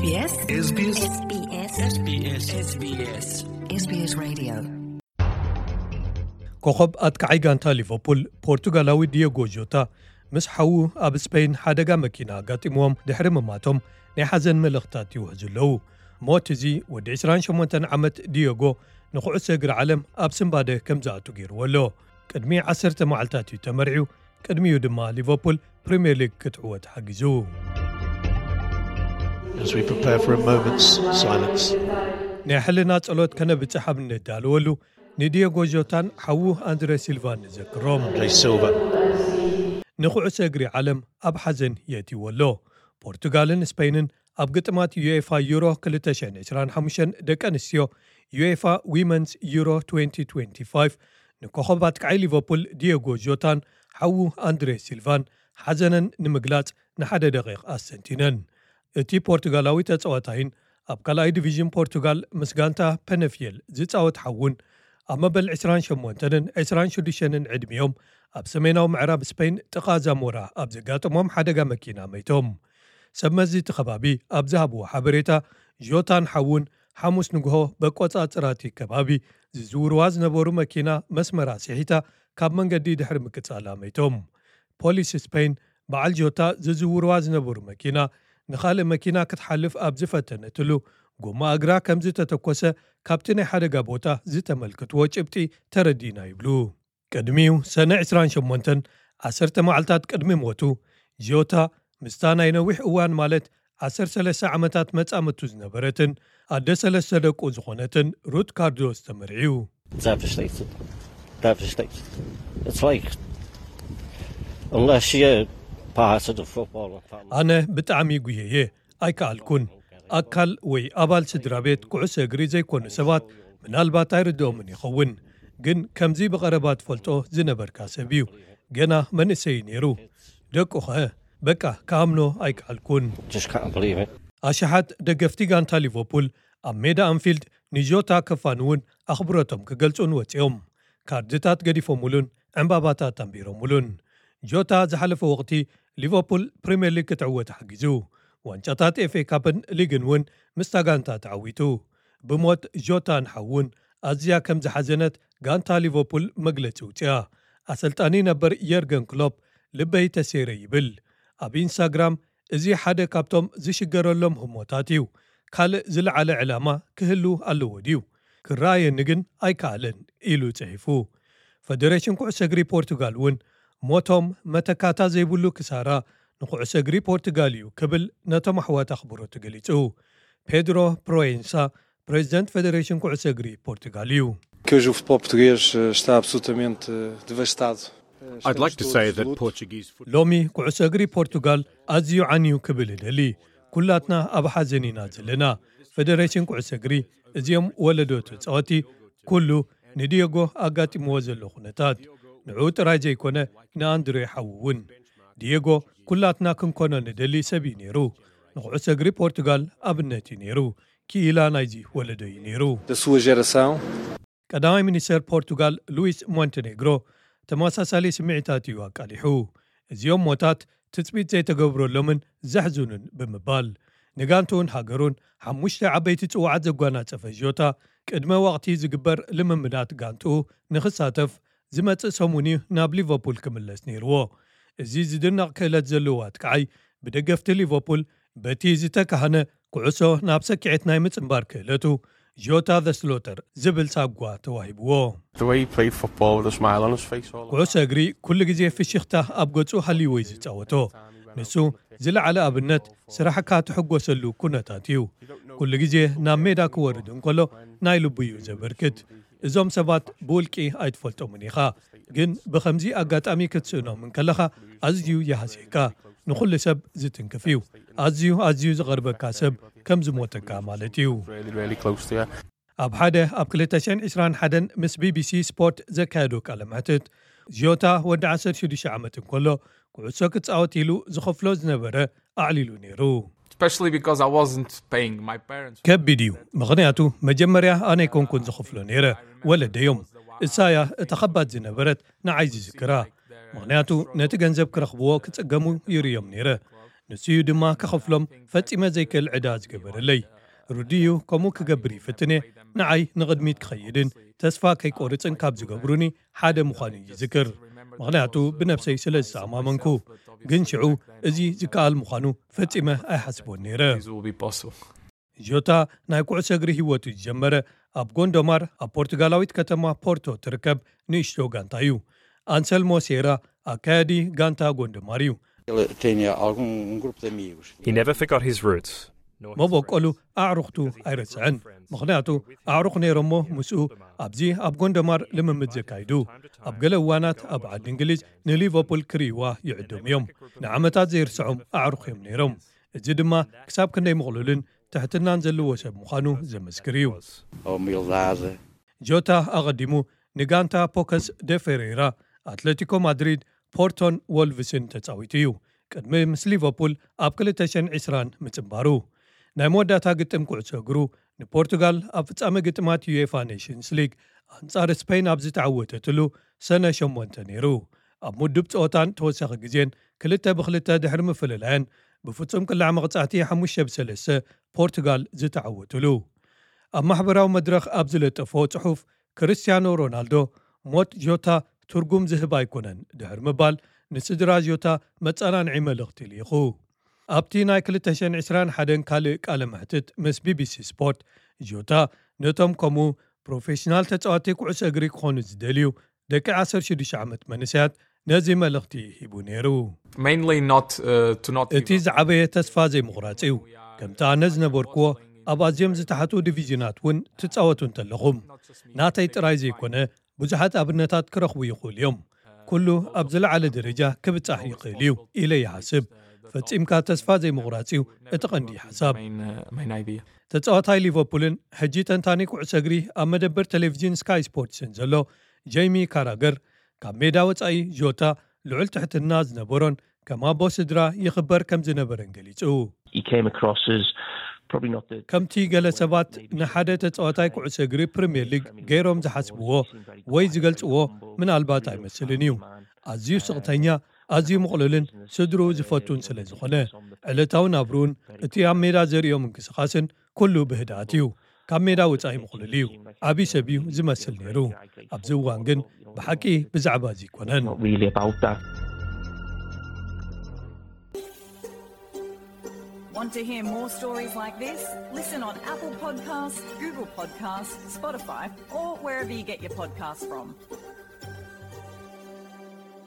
SBS SBS SBS SBS Radio. ኮኸብ ኣጥቃዓይ ጋንታ ሊቨርፑል ፖርቱጋላዊ ዲየጎ ጆታ ምስ ሓዉ ኣብ ስፔን ሓደጋ መኪና ኣጋጢምዎም ድሕሪ ምማቶም ናይ ሓዘን መልእኽታት ይውሕዙ ኣለዉ። ሞት እዚ ወዲ ዕስራን ሸሞንተን ዓመት ዲየጎ ንኩዕሶ እግሪ ዓለም ኣብ ስንባደ ከም ዝኣቱ ገይርዎ ኣሎ። ቅድሚ ዓሰርተ መዓልታት እዩ ተመርዒው። ቅድሚኡ ድማ ሊቨርፑል ፕሪምየር ሊግ ክትዕወት ሓጊዙ። As we prepare for a moment's silence. ናይ ሕልና ጸሎት ከነብጽሕ ኣብ እንደዳለወሉ ንዲየጎ ጆታን ሓዉ ኣንድሬ ሲልቫን ንዘክሮም። Jay Silva. ንኩዕሶ እግሪ ዓለም ኣብ ሓዘን የእትይዎ ኣሎ። ፖርቱጋልን ስፔንን ኣብ ግጥማት ዩኤፋ ዩሮ ክልተ ሽሕን ዕስራን ሓሙሽተን ደቂ ኣንስትዮ ዩኤፋ ዊመንስ ዩሮ ትወንቲ ትወንቲ ፋይቭ ንኮኸብ ኣጥቃዓይ ሊቨርፑል ዲየጎ ጆታን ሓዉ ኣንድሬ ሲልቫን ሓዘነን ንምግላጽ ንሓደ ደቂቕ ኣስተንቲነን። እቲ ፖርቱጋላዊ ተጻዋታይን ኣብ ካልኣይ ዲቪዥን ፖርቱጋል ምስ ጋንታ ፐነፊየል ዝጻወት ሓዉን ኣብ መበል ዕስራን ሸሞንተንን ዕስራን ሽዱሽተንን ዕድሚኦም ኣብ ሰሜናዊ ምዕራብ ስፔን ጥቓ ዛሞራ ኣብ ዘጋጠሞም ሓደጋ መኪና መይቶም። ሰብ መዚ እቲ ከባቢ ኣብ ዝሃብዎ ሓበሬታ ጆታን ሓዉን ሓሙስ ንግሆ በቆጻጽራቲ ከባቢ ዝዝውርዋ ዝነበሩ መኪና መስመራ ስሒታ ካብ መንገዲ ድሕሪ ምቅጻላ መይቶም። ፖሊስ ስፔን በዓል ጆታ ዝዝውርዋ ዝነበሩ መኪና ንኻልእ መኪና ክትሓልፍ ኣብ ዝፈተነትሉ ጎማ እግራ ከም ዝተተኮሰ ካብቲ ናይ ሓደጋ ቦታ ዝተመልከትዎ ጭብጢ ተረዲእና ይብሉ። ቅድሚኡ ሰነ ዕስራን ሸሞንተን ዓሰርተ መዓልታት ቅድሚ ሞቱ ጆታ ምስታ ናይ ነዊሕ እዋን ማለት ዓሰርተ ሰለስተ ዓመታት መጻምቱ ዝነበረትን ኣደ ሰለስተ ደቁ ዝኾነትን ሩት ካርዶስ ተመርዒው። Devastated. Devastated. It's like, unless you're part of the football and family. ኣነ ብጣዕሚ ጉየየ ኣይከኣልኩን። ኣካል ወይ ኣባል ስድራ ቤት ኩዕሶ እግሪ ዘይኮኑ ሰባት ምናልባት ኣይርድኦምን ይኸውን፣ ግን ከምዚ ብቐረባ ትፈልጦ ዝነበርካ ሰብ እዩ። ገና መንእሰይ ነይሩ። ደቁኸ በቃ ክኣምኖ ኣይከኣልኩን። Just can't believe it. ኣሽሓት ደገፍቲ ጋንታ ሊቨርፑል ኣብ ሜዳ ኣንፊልድ ንጆታ ከፋንውን ኣኽብሮቶም ክገልጹን ወጺኦም። ካርድታት ገዲፎምሉን ዕምባባታት ኣንቢሮምሉን። ጆታ ዝሓለፈ ወቕቲ ሊቨርፑል ፕሪምየር ሊግ ክትዕወት ሓጊዙ። ዋንጫታት ኤፍኤ ካፕን ሊግን እውን ምስታ ጋንታ ተዓዊቱ። ብሞት ጆታን ሓውን ኣዝያ ከም ዝሓዘነት ጋንታ ሊቨርፑል መግለጺ ውጽያ። ኣሰልጣኒ ነበር የርገን ክሎፕ ልበይ ተሴረ ይብል። ኣብ ኢንስታግራም እዚ ሓደ ካብቶም ዝሽገረሎም ህሞታት እዩ። ካልእ ዝለዓለ ዕላማ ክህሉ ኣለዎ ድዩ? ክረኣየኒ ግን ኣይከኣለን ኢሉ ጽሒፉ። ፈደሬሽን ኩዕሶ እግሪ ፖርቱጋል እውን ሞቶም መተካታ ዘይብሉ ክሳራ ንኩዕሶ እግሪ ፖርቱጋል እዩ ክብል ነቶም ኣሕዋት ኣኽብሮቱ ገሊጹ። ፔድሮ ፕሮዌንሳ ፕሬዚደንት ፈደሬሽን ኩዕሶ እግሪ ፖርቱጋል እዩ። Que hoje o futebol português eh, está absolutamente eh, devastado. Eh, I'd like to estamos say todos de that luto. Portuguese football. ሎሚ ኩዕሶ እግሪ ፖርቱጋል ኣዝዩ ዓንዩ ክብል እደሊ። ኩላትና ኣብ ሓዘን ኢና ዘለና። ፈደሬሽን ኩዕሶ እግሪ፣ እዚኦም ወለዶ ተጻወቲ፣ ኩሉ ንዲየጎ ኣጋጢምዎ ዘሎ ኩነታት፣ ንዕኡ ጥራይ ዘይኮነ ንኣንድሬ ሓዉ እውን። ዲየጎ ኩላትና ክንኮኖ ንደሊ ሰብ እዩ ነይሩ። ንኩዕሶ እግሪ ፖርቱጋል ኣብነት እዩ ነይሩ። ክኢላ ናይዚ ወለዶ እዩ ነይሩ። Da sua geração. ቀዳማይ ሚኒስተር ፖርቱጋል ሉዊስ ሞንቴኔግሮ ተመሳሳሊ ስምዒታት እዩ ኣቃሊሑ። እዚኦም ሞታት ትጽቢት ዘይተገብረሎምን ዘሕዝኑን ብምባል፣ ንጋንትኡን ሃገሩን ሓሙሽተ ዓበይቲ ጽዋዓት ዘጓናጸፈ ጆታ፣ ቅድመ ወቕቲ ዝግበር ልምምዳት ጋንትኡ ንኽሳተፍ ዝመጽእ ሰሙን እዩ ናብ ሊቨርፑል ክምለስ ነይርዎ። እዚ ዝድነቕ ክእለት ዘለዎ ኣጥቃዓይ ብደገፍቲ ሊቨርፑል በቲ ዝተካህነ ኩዕሶ ናብ ሰኪዐት ናይ ምጽንባር ክእለቱ ጆታ ዘ ስሎተር ዝብል ሳጓ ተዋሂብዎ። The way he played football with a smile on his face all the ኩዕሶ እግሪ ኩሉ ግዜ ፍሽኽታ ኣብ ገጹ ሃልይዎ እዩ ዝጻወቶ። ንሱ ዝለዓለ ኣብነት ስራሕካ ትሕጎሰሉ ኩነታት እዩ። ኩሉ ግዜ ናብ ሜዳ ክወርድ እንከሎ ናይ ልቡ እዩ ዘበርክት። እዞም ሰባት ብውልቂ ኣይትፈልጦምን ኢኻ፣ ግን ብኸምዚ ኣጋጣሚ ክትስእኖም እንከለኻ ኣዝዩ ይሃስየካ። ንኹሉ ሰብ ዝትንክፍ እዩ። ኣዝዩ ኣዝዩ ዝቐርበካ ሰብ ከም ዝሞተካ ማለት እዩ። Really, really close to you. ኣብ ሓደ ኣብ ክልተ ሽሕን ዕስራን ሓደን ምስ ቢቢሲ ስፖርት ዘካየዶ ቃለ መሕትት፣ ጆታ ወዲ ዓሰርተ ሽዱሽተ ዓመት እንከሎ ኩዕሶ ክጻወት ኢሉ ዝኸፍሎ ዝነበረ ኣዕሊሉ ነይሩ። Especially because I wasn't paying my parents. ከቢድ እዩ፣ ምኽንያቱ መጀመርያ ኣነ ኣይኮንኩን ዝኸፍሎ ነይረ፣ ወለደዮም። እሳ እያ እታ ኸባድ ዝነበረት ንዓይ ዝዝክራ፣ ምኽንያቱ ነቲ ገንዘብ ክረኽብዎ ክጽገሙ ይርእዮም ነይረ። ንሱ እዩ ድማ ክኸፍሎም ፈጺመ ዘይክእል ዕዳ ዝገበረለይ። ርዱእ እዩ፣ ከምኡ ክገብር ይፍትን እየ። ንዓይ ንቕድሚት ክኸይድን ተስፋ ከይቆርጽን ካብ ዝገብሩኒ ሓደ ምዃኑ ይዝክር። ምኽንያቱ ብነብሰይ ስለ ዝተኣማመንኩ። ግን ሽዑ እዚ ዝከኣል ምዃኑ ፈጺመ ኣይሓስቦን ነይረ። ጆታ ናይ ኩዕሶ እግሪ ህይወቱ ዝጀመረ ኣብ ጎንዶማር፣ ኣብ ፖርቱጋላዊት ከተማ ፖርቶ ትርከብ ንእሽቶ ጋንታ እዩ። ኣንሰልሞ ሴራ ኣካያዲ ጋንታ ጎንዶማር እዩ። Ele tinha algum um grupo de amigos. He never forgot his roots. መበቆሉ ኣዕሩኽቱ ኣይረስዐን። ምኽንያቱ ኣዕሩኽ ነይሮሞ ምስኡ ኣብዚ ኣብ ጎንደማር ልምምድ ዘካይዱ። ኣብ ገለ እዋናት ኣብ ዓዲ እንግሊዝ ንሊቨርፑል ክርእይዋ ይዕደሙ እዮም። ንዓመታት ዘይርስዖም ኣዕሩኽ እዮም ነይሮም። እዚ ድማ ክሳብ ክንደይ ምቕሉልን ትሕትናን ዘለዎ ሰብ ምዃኑ ዘመስክር እዩ። A humildade. ጆታ ኣቐዲሙ ንጋንታ ፖከስ ደ ፌሬራ፣ ኣትሌቲኮ ማድሪድ፣ ፖርቶን ወልቭስን ተጻዊቱ እዩ። ቅድሚ ምስ ሊቨርፑል ኣብ ክልተ ሽሕን ዕስራን ምጽንባሩ። ናይ መወዳእታ ግጥም ኩዕሶ እግሩ ንፖርቱጋል ኣብ ፍጻመ ግጥማት ዩኤፋ ኔሽንስ ሊግ ኣንጻር ስፔን ኣብ ዝተዓወተትሉ ሰነ ሸሞንተ ነይሩ። ኣብ ምዱብ ጸወታን ተወሳኺ ግዜን ክልተ ብክልተ ድሕሪ ምፍልላየን ብፍጹም ቅላዕ መቕጻዕቲ ሓሙሽተ ብሰለስተ ፖርቱጋል ዝተዓወትሉ። ኣብ ማሕበራዊ መድረኽ ኣብ ዝለጠፎ ጽሑፍ ክርስቲያኖ ሮናልዶ ሞት ጆታ ትርጉም ዝህብ ኣይኮነን ድሕሪ ምባል ንስድራ ጆታ መጸናንዒ መልእኽቲ ልኢኹ። ኣብቲ ናይ ክልተ ሽሕን ዕስራን ሓደን ካልእ ቃለ መሕትት ምስ ቢቢሲ ስፖርት ጆታ ነቶም ከምኡ ፕሮፌሽናል ተጻዋቲ ኩዕሶ እግሪ ክኾኑ ዝደልዩ ደቂ ዓሰርተ ሽዱሽተ ዓመት መንእሰያት ነዚ መልእኽቲ ሂቡ ነይሩ። Mainly not uh, to not give እቲ ዝዓበየ ተስፋ ዘይምቑራጽ እዩ። ከምቲ ኣነ ዝነበርክዎ ኣብ ኣዝዮም ዝተሓቱ ዲቪዥናት እውን ትጻወቱ እንተለኹም ናተይ ጥራይ ዘይኮነ ብዙሓት ኣብነታት ክረኽቡ ይኽእሉ እዮም። ኩሉ ኣብ ዝለዓለ ደረጃ ክብጻሕ ይኽእል እዩ ኢለ ይሓስብ። ፈጺምካ ተስፋ ዘይምቑራጽ እዩ እቲ ቀንዲ ሓሳብ። Main, uh, main idea. ተጻዋታይ ሊቨርፑልን ሕጂ ተንታኒ ኩዕሶ እግሪ ኣብ መደበር ቴሌቪዥን ስካይ ስፖርትስን ዘሎ ጄይሚ ካራገር ካብ ሜዳ ወጻኢ ጆታ ልዑል ትሕትና ዝነበሮን ከም ኣቦ ስድራ ይኽበር ከም ዝነበረን ገሊጹ። He came across as probably not the ከምቲ ገለ ሰባት ንሓደ ተጻዋታይ ኩዕሶ እግሪ ፕሪምየር ሊግ ገይሮም ዝሓስብዎ ወይ ዝገልጽዎ ምናልባት ኣይመስልን እዩ። ኣዝዩ ስቕተኛ፣ ኣዝዩ ምቕሉልን ስድርኡ ዝፈቱን ስለ ዝኾነ ዕለታዊ ናብርኡን እቲ ኣብ ሜዳ ዘርእዮ ምንቅስቓስን ኩሉ ብህድኣት እዩ። ካብ ሜዳ ወጻኢ ምቕሉል እዩ። ዓብዪ ሰብ እዩ ዝመስል ነይሩ። ኣብዚ እዋን ግን ብሓቂ ብዛዕባ እዚ ኣይኮነን። not really about that. Want to hear more stories like this? Listen on Apple Podcasts, Google Podcasts, Spotify, or wherever you get your podcasts from.